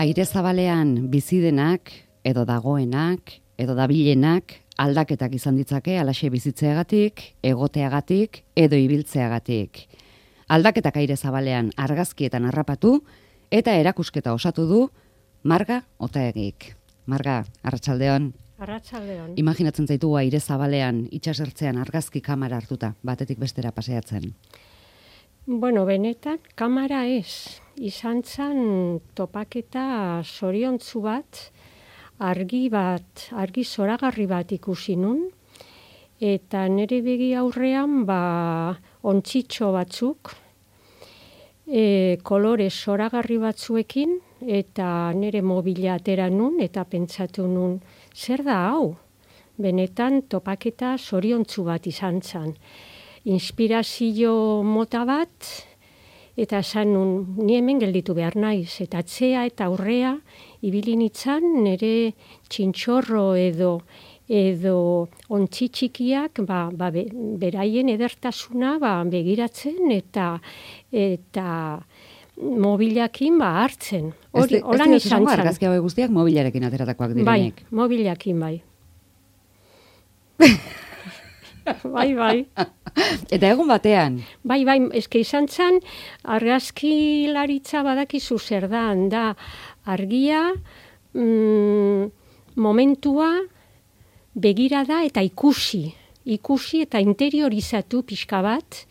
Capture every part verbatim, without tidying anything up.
Aire zabalean bizi denak, edo dagoenak, edo dabilenak, aldaketak izan ditzake alaxe bizitzeagatik, egoteagatik, edo ibiltzeagatik. Aldaketak aire zabalean argazkietan harrapatu, eta erakusketa osatu du Marga Otaegik. Marga, arratsaldeon. Arratsaldeon. Imaginatzen zaitugu aire zabalean, itsasertzean argazki kamera hartuta, batetik bestera paseatzen. Bueno, benetan, kamera ez. Izan zen topaketa zoriontzu bat, argi bat, argi zoragarri bat ikusi nun, eta nire begi aurrean, ba, ontsitxo batzuk, e, kolore zoragarri batzuekin, eta nire mobila atera nun, eta pentsatu nun, zer da hau? Benetan topaketa zoriontzu bat izan zen. Inspirazio mota bat, eta esan nun, ni hemen gelditu behar naiz, eta atzea eta aurrea ibili nintzen nire txintxorro edo edo ontzi txikiak ba, ba, be, beraien edertasuna ba, begiratzen eta eta mobilakin ba, hartzen. Hori, holan izan zen. Argazki hauek guztiak mobilarekin ateratakoak direnek. Bai, mobilakin bai. Bai, bai. Eta egun batean? Bai, bai, eske izan zen, argazkilaritza badakizu zer da, da argia, mm, momentua, begirada eta ikusi. Ikusi eta interiorizatu pixka bat,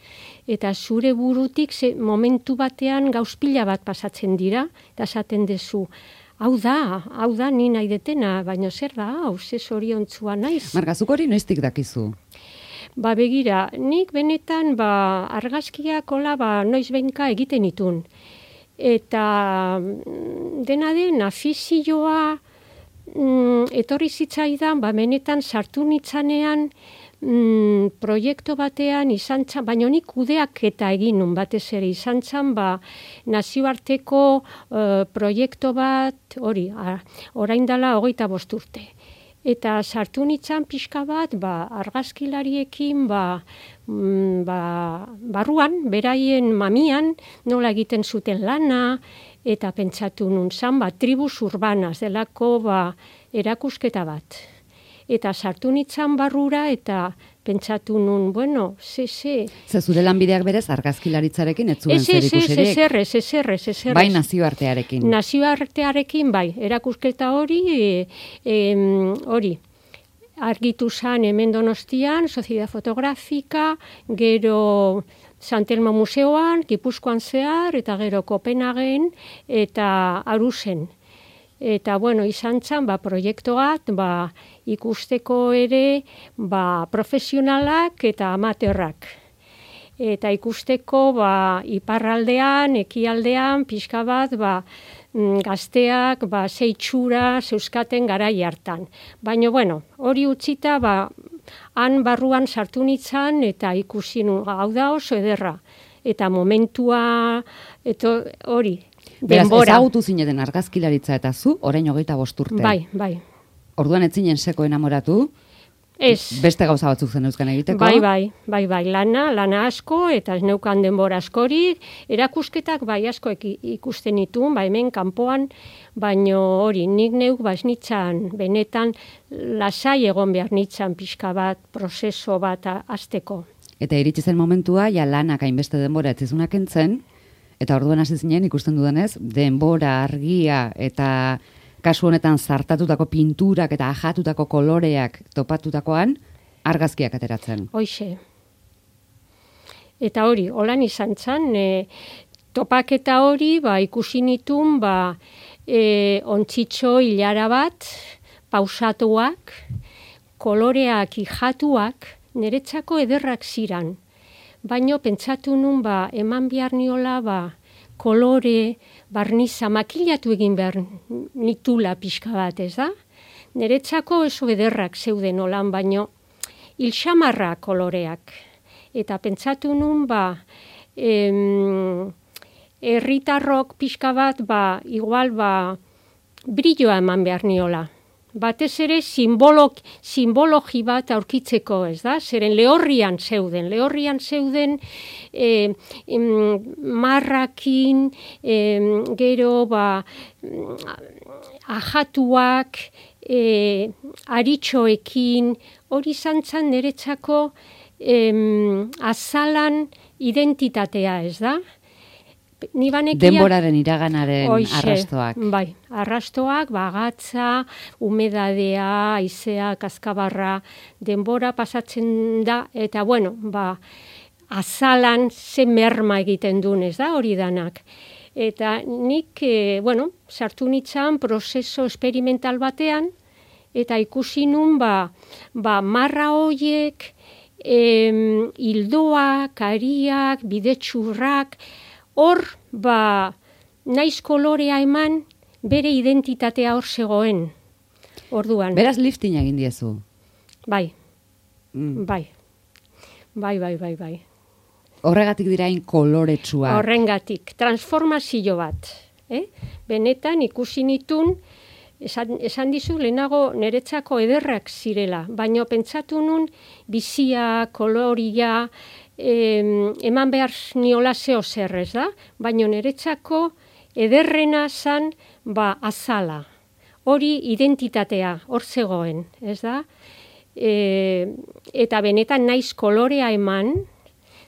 eta zure burutik ze, momentu batean gauzpila bat pasatzen dira, eta esaten dezu, hau da, hau da, ni nahi detena, baina zer da, hau, ze zoriontzua naiz. Marga, zuk hori noiztik dakizu? Ba begira, nik benetan ba, argazkiak hola ba, noiz behinka egiten itun. Eta dena den, afizioa mm, etorri zitzaidan, ba, benetan sartu nitzanean mm, proiektu batean izan txan, baina nik kudeak eta egin nun batez ere izan txan, ba, nazioarteko uh, proiektu bat, hori, orain dela hogeita bost urte. Eta sartu nintzen pixka bat, ba, argazkilariekin, ba, mm, ba, barruan, beraien mamian, nola egiten zuten lana, eta pentsatu nun zan, ba, tribus urbanaz, delako ba, erakusketa bat. Eta sartu nintzen barrura, eta pentsatu nun, bueno, ze, ze. Ze zure lanbideak berez argazkilaritzarekin ez zuen zer ikusirik? Ez, ez, ez, ez, ez, ez, ez. Bai nazioartearekin. Nazioartearekin, bai, erakusketa hori, e, e, hori, argitu zan hemen Donostian, Sociedad Fotografika, gero San Telmo Museoan, Gipuzkoan zehar, eta gero Kopenhagen, eta Arusen. Eta, bueno, izan zen, ba, proiektuat, ba, ikusteko ere, ba, profesionalak eta amaterrak. Eta ikusteko, ba, iparraldean, ekialdean, pixka bat, ba, gazteak, ba, zeitxura, zeuskaten garai hartan. Baina, bueno, hori utzita, ba, han barruan sartu nintzen, eta ikusi nu, hau da oso ederra. Eta momentua, eta hori, beraz, ezagutu zineten argazkilaritza eta zu, orain hogeita bost urte. Bai, bai. Orduan ez zinen seko enamoratu? Ez. Beste gauza batzuk zen euskan egiteko? Bai, bai, bai, bai, lana, lana asko, eta ez neukan denbora askorik, erakusketak bai asko ikusten ditun, bai hemen kanpoan, baino hori, nik neuk bas nitzan, benetan, lasai egon behar nitzan pixka bat, prozeso bat hasteko. Eta iritsi zen momentua, ja lanak hainbeste denbora ez zizunak entzen, eta orduan hasi zinen ikusten dudanez, denbora, argia eta kasu honetan zartatutako pinturak eta ajatutako koloreak topatutakoan argazkiak ateratzen. Hoixe. Eta hori, holan izan zen, e, topaketa hori, ba, ikusi nitun, ba, e, ontsitxo hilara bat, pausatuak, koloreak ijatuak, niretzako ederrak ziran. Baina pentsatu nun, ba, eman behar niola, ba, kolore, barniza, makilatu egin behar nitula pixka bat, ez da? Niretzako oso ederrak zeuden olan, baino hilxamarra koloreak. Eta pentsatu nun, ba, em, herritarrok pixka bat, ba, igual, ba, brilloa eman behar niola. batez ere simbolo, simbologi bat aurkitzeko, ez da? Zeren lehorrian zeuden, lehorrian zeuden e, em, marrakin, em, gero ba, ajatuak, e, aritxoekin, hori zantzan niretzako em, azalan identitatea, ez da? Ni banekia, denboraren iraganaren Oixe, arrastoak. Bai, arrastoak, bagatza, humedadea, haizea, kaskabarra, denbora pasatzen da, eta bueno, ba, azalan ze merma egiten duen, ez da, hori danak. Eta nik, e, bueno, sartu nitzan prozeso experimental batean, eta ikusi nun, ba, ba marra hoiek, em, hildoak, ariak, bidetxurrak, hor, ba, naiz kolorea eman, bere identitatea hor zegoen, orduan. Beraz lifting egin diezu. Bai, Mm. bai, bai, bai, bai, bai. Horregatik dirain koloretsuak. Horrengatik, transformazio bat. Eh? Benetan ikusi nitun, esan, esan dizu lehenago niretzako ederrak zirela, baina pentsatu nun bizia, koloria, em, eman behar niola zeo zer, ez da? Baina niretzako ederrena zan, ba, azala. Hori identitatea, hor zegoen, ez da? E, eta benetan naiz kolorea eman,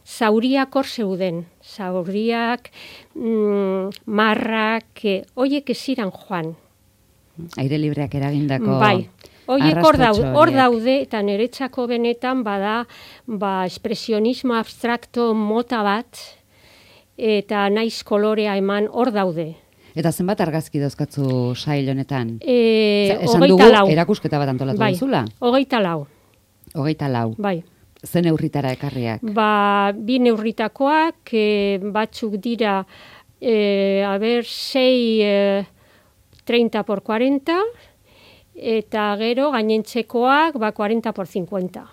zauriak hor zeuden. Zauriak, mm, marrak, e, hoiek ez ziren joan. Aire libreak eragindako Bai, hoiek hor daude, arrastotxo hor horiek. daude, eta niretzako benetan bada, ba, espresionismo abstrakto mota bat, eta naiz kolorea eman hor daude. Eta zenbat argazki dauzkatzu sail honetan? E, Esan dugu hogeita lau. erakusketa bat antolatu Bai, duzula. hogeita lau, Hogeita lau. bai. Zen neurritara ekarriak. Ba, bi neurritakoak, e, batzuk dira, e, a ber, sei, e, treinta por cuarenta, eta gero gainentzekoak, ba, cuarenta por cincuenta.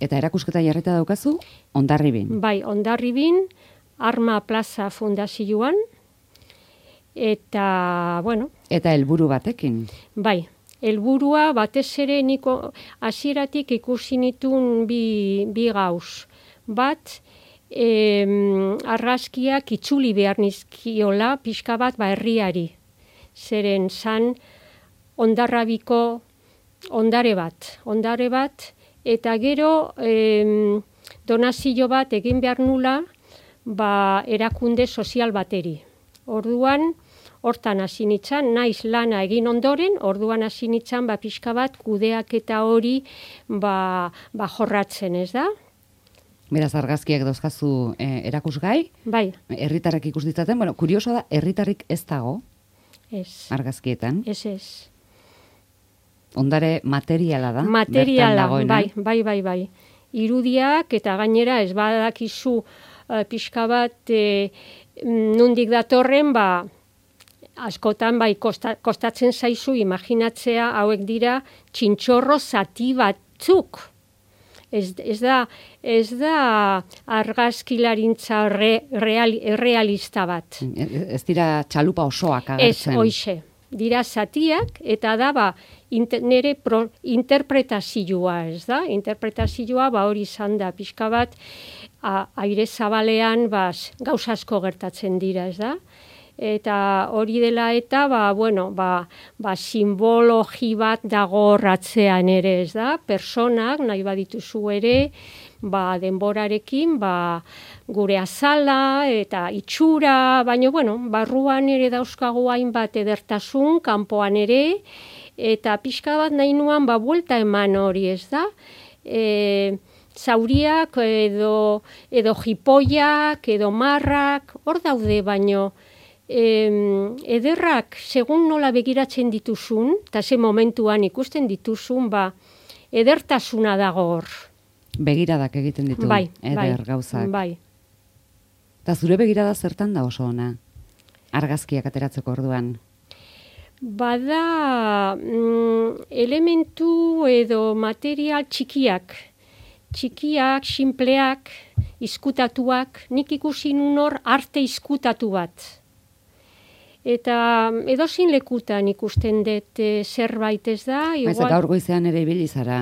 Eta erakusketa jarrita daukazu, Hondarribin. Bai, Hondarribin, Arma Plaza Fundazioan, eta, bueno, Eta helburu batekin. bai, helburua batez ere niko hasieratik ikusi nitun bi, bi gauz. Bat, em, argazkiak itzuli behar nizkiola pixka bat ba herriari. Zeren zan Hondarrabiko ondare bat, ondare bat, eta gero em, donazio bat egin behar nula ba erakunde sozial bateri. Orduan, hortan hasi nitzan, naiz lana egin ondoren, orduan hasi nitzan, ba, pixka bat, kudeak eta hori, ba, ba jorratzen, ez da? Beraz argazkiak dauzkazu eh, erakusgai, Bai, herritarrek ikus ditzaten, bueno, kurioso da, herritarrik ez dago ez, argazkietan. ez, ez. Ondare materiala da, bertan Materiala, dagoena. bai, bai, bai, bai. Irudiak eta gainera ez badakizu uh, pixka bat eh, nondik datorren, ba, askotan bai kosta, kostatzen zaizu imaginatzea hauek dira txintxorro zati batzuk. Ez, ez da, ez da argazkilarintza re, real, realista bat. Ez dira txalupa osoak Ez, agertzen. hoixe. Dira zatiak eta da ba, inter, nere pro, interpretazioa, ez da? Interpretazioa ba hori izan da pixka bat a, aire zabalean ba, gauza asko gertatzen dira, ez da? Eta hori dela eta ba, bueno, ba, ba, simbologi bat dago ratzean ere, ez da? Personak nahi badituzu ere, ba, denborarekin, ba, gure azala eta itxura, baina, bueno, barruan ere dauzkagu hainbat edertasun, kanpoan ere, eta pixka bat nahi nuan, ba, buelta eman hori, ez da? E, zauriak edo, edo jipoiak, edo marrak, hor daude, baino, e, ederrak, segun nola begiratzen dituzun, eta ze momentuan ikusten dituzun, ba, edertasuna dago hor. Begiradak egiten ditu, Bai, eder bai, gauzak. bai. Eta zure begirada zertan da oso ona? Argazkiak ateratzeko orduan. Bada mm, elementu edo material txikiak, txikiak, sinpleak, izkutatuak, nik ikusi nun hor arte izkutatu bat. Eta edozein lekutan ikusten dut e, zerbait ez da. Igual... Baiz, gaur goizean ere ibili zara.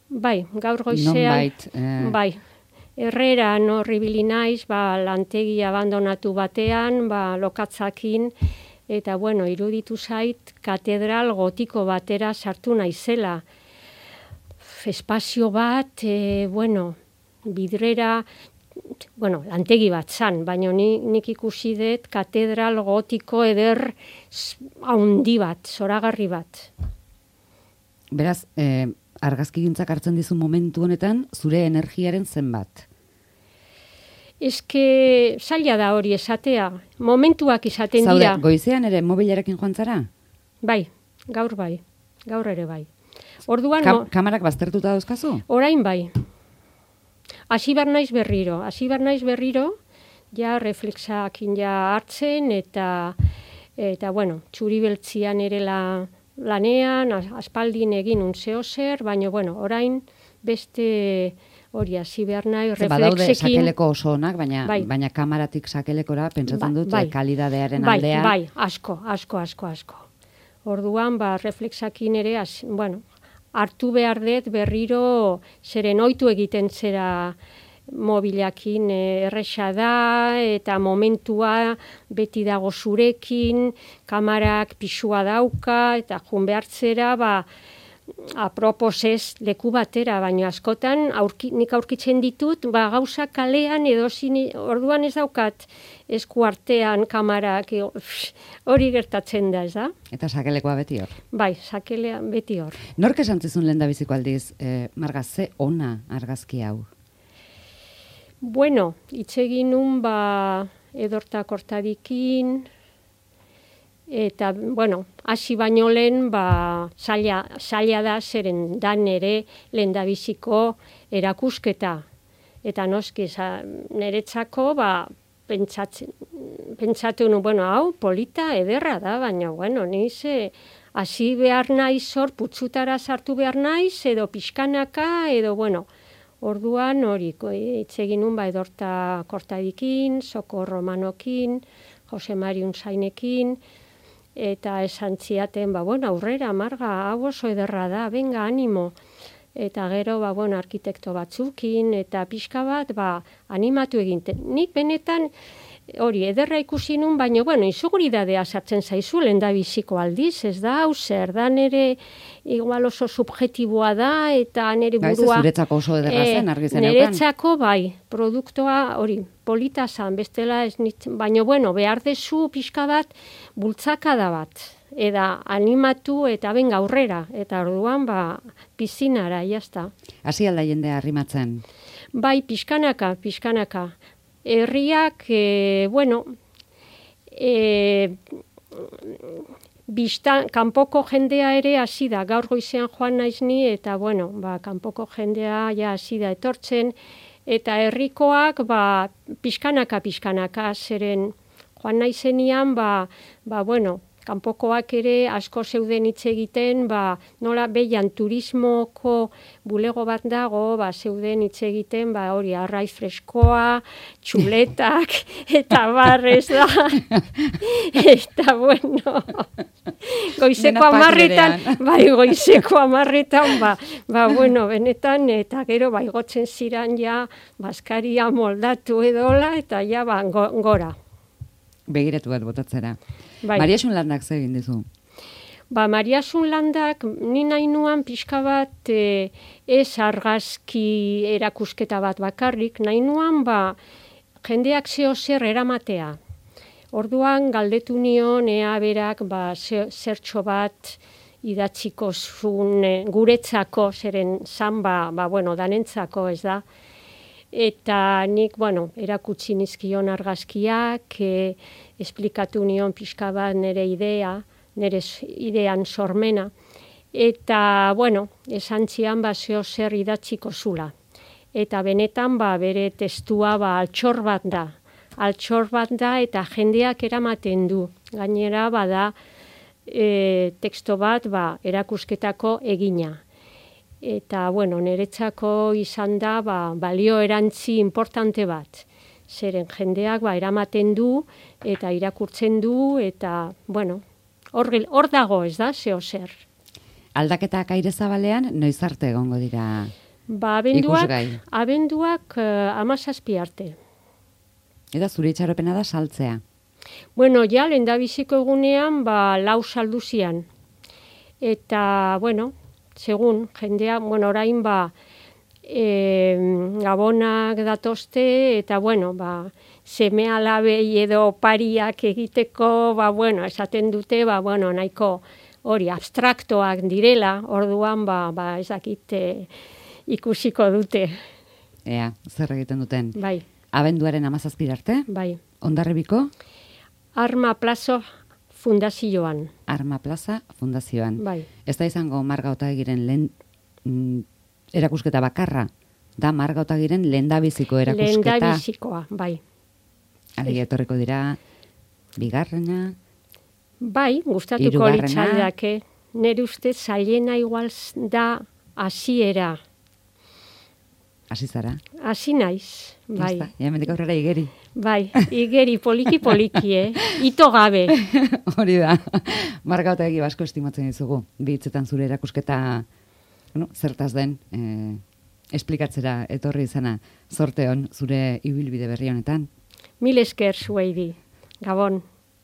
Bai, gaur goizean. Nonbait. Eh... Bai, Herreran horri ibili naiz, ba, lantegi abandonatu batean, ba, lokatzakin, eta bueno, iruditu zait katedral gotiko batera sartu naizela. Espazio bat, e, bueno, bidrera, bueno, lantegi bat zan, baina ni, nik ikusi dut katedral gotiko eder haundi bat, zoragarri bat. Beraz, eh, argazkigintzak hartzen dizu momentu honetan, zure energiaren zenbat? Eske zaila da hori esatea, momentuak izaten Zaude, dira. Zaude, goizean ere mobilarekin joan zara? Bai, gaur bai, gaur ere bai. Orduan, Ka no, kamarak baztertuta dauzkazu? Orain bai. Hasi behar naiz berriro, hasi behar naiz berriro, ja reflexakin ja hartzen, eta, eta bueno, txuri beltzian ere la, lanean, aspaldin egin unzeo zer, baina, bueno, orain beste hori hasi behar nahi, reflexekin. Badaude sakeleko oso onak, baina, bai. baina kamaratik sakelekora, pentsatzen ba, dut, bai. kalidadearen bai, aldea. Bai, asko, asko, asko, asko. Orduan, ba, reflexakin ere, az, bueno, hartu behar dut berriro zeren ohitu egiten zera mobilakin erresa da, eta momentua beti dago zurekin, kamarak pisua dauka, eta jun behartzera, ba, apropos ez leku batera, baina askotan aurki, nik aurkitzen ditut, ba, gauza kalean edo zini, orduan ez daukat esku artean kamarak, hori gertatzen da, ez da? Eta sakelekoa beti hor? Bai, sakelean beti hor. Nork esan zizun lehendabiziko aldiz, eh, Marga, ze ona argazki hau? Bueno, itzegin nun, ba, edorta kortadikin, eta, bueno, hasi baino lehen, ba, zaila, zaila da zeren dan ere lehendabiziko erakusketa. Eta noski, niretzako, ba, pentsatzen, pentsatu nu, bueno, hau, polita, ederra da, baina, bueno, niz, hasi behar naiz hor, putzutara sartu behar naiz, edo pixkanaka, edo, bueno, orduan hori, itzegin nun, ba, edorta kortadikin, Soko Romanokin, Jose Mari Unzainekin, eta esan ziaten, ba, bueno, aurrera, Marga, hau oso ederra da, benga, animo. Eta gero, ba, bueno, arkitekto batzukin, eta pixka bat, ba, animatu eginten. Nik benetan, hori, ederra ikusi nun, baina, bueno, inseguridadea sartzen zaizu, lehendabiziko aldiz, ez da, hau zer, da nere, igual oso subjetiboa da, eta nere burua... Gaiz, zuretzako oso ederra zen, argi zen eukan? Niretzako, bai, produktoa, hori, polita zan, bestela ez nintzen, baina, bueno, behar dezu pixka bat, bultzakada bat, eta animatu eta ben aurrera, eta orduan, ba, pizinara, jazta. Hasi alda jendea arrimatzen? Bai, pixkanaka, pixkanaka. Herriak, e, bueno, e, bizta, kanpoko jendea ere hasi da, gaur goizean joan naiz ni, eta, bueno, ba, kanpoko jendea ja hasi da etortzen, eta herrikoak, ba, pixkanaka, pixkanaka, zeren joan naizenian, ba, ba, bueno, kanpokoak ere asko zeuden hitz egiten, ba, nola behian turismoko bulego bat dago, ba, zeuden hitz egiten, ba, hori arraiz freskoa, txuletak, eta barrez da. Eta, bueno, goizeko amarretan, bai, goizeko amarretan, ba, ba, bueno, benetan, eta gero, bai, gotzen ziran ja, baskaria moldatu edola, eta ja, ba, gora. Begiratu bat botatzera. Bai. Mariasun Landak ze egin dizu? Ba, Mariasun Landak, ni nahi nuan pixka bat e, ez argazki erakusketa bat bakarrik, nahi nuan, ba, jendeak zeo zer eramatea. Orduan, galdetu nion, ea berak, ba, zertxo bat idatziko zuen e, guretzako, zeren zan, ba, ba, bueno, danentzako, ez da. Eta nik, bueno, erakutsi nizkion argazkiak, e, esplikatu nion pixka bat nire idea, nire idean sormena. Eta, bueno, esan zian, ba, zeo zer idatziko zula. Eta benetan, ba, bere testua, ba, altxor bat da. Altxor bat da, eta jendeak eramaten du. Gainera, bada, e, teksto bat, ba, erakusketako egina. Eta, bueno, niretzako izan da, ba, balio erantzi importante bat. Zeren jendeak ba, eramaten du eta irakurtzen du eta, bueno, hor, hor dago ez da, zeo zer. Aldaketak aire zabalean, noiz arte egongo dira ba, abenduak, ikusgai? Abenduak uh, amazazpi arte. Eta zure itxaropena da saltzea? Bueno, ja, lehendabiziko egunean, ba, lau salduzian. Eta, bueno, segun, jendea, bueno, orain, ba, e, gabonak datozte, eta, bueno, ba, seme alabei edo pariak egiteko, ba, bueno, esaten dute, ba, bueno, nahiko hori abstraktoak direla, orduan, ba, ba ezakit ikusiko dute. Ea, zer egiten duten? Bai. Abenduaren amazazpira arte? Bai. Hondarribiko? Arma Plazo Fundazioan. Arma Plaza Fundazioan. Bai. Ez da izango Marga Otagiren lehen mm, erakusketa bakarra? Da Marga Otagiren lehendabiziko erakusketa? Lehendabizikoa, bai. Alegia etorriko dira bigarrena? Bai, gustatuko litzaidake. Nire ustez zailena igual da hasiera. Hasi zara? Hasi naiz, bai. Basta, ja mendik aurrera igeri. Bai, igeri poliki-poliki, eh? Ito gabe. Hori da. Marga Otagi basko estimatzen dizugu. Bi hitzetan zure erakusketa, bueno, zertaz den, eh, esplikatzera etorri izana, zorte hon zure ibilbide berri honetan. Mil esker zuei di. Gabon.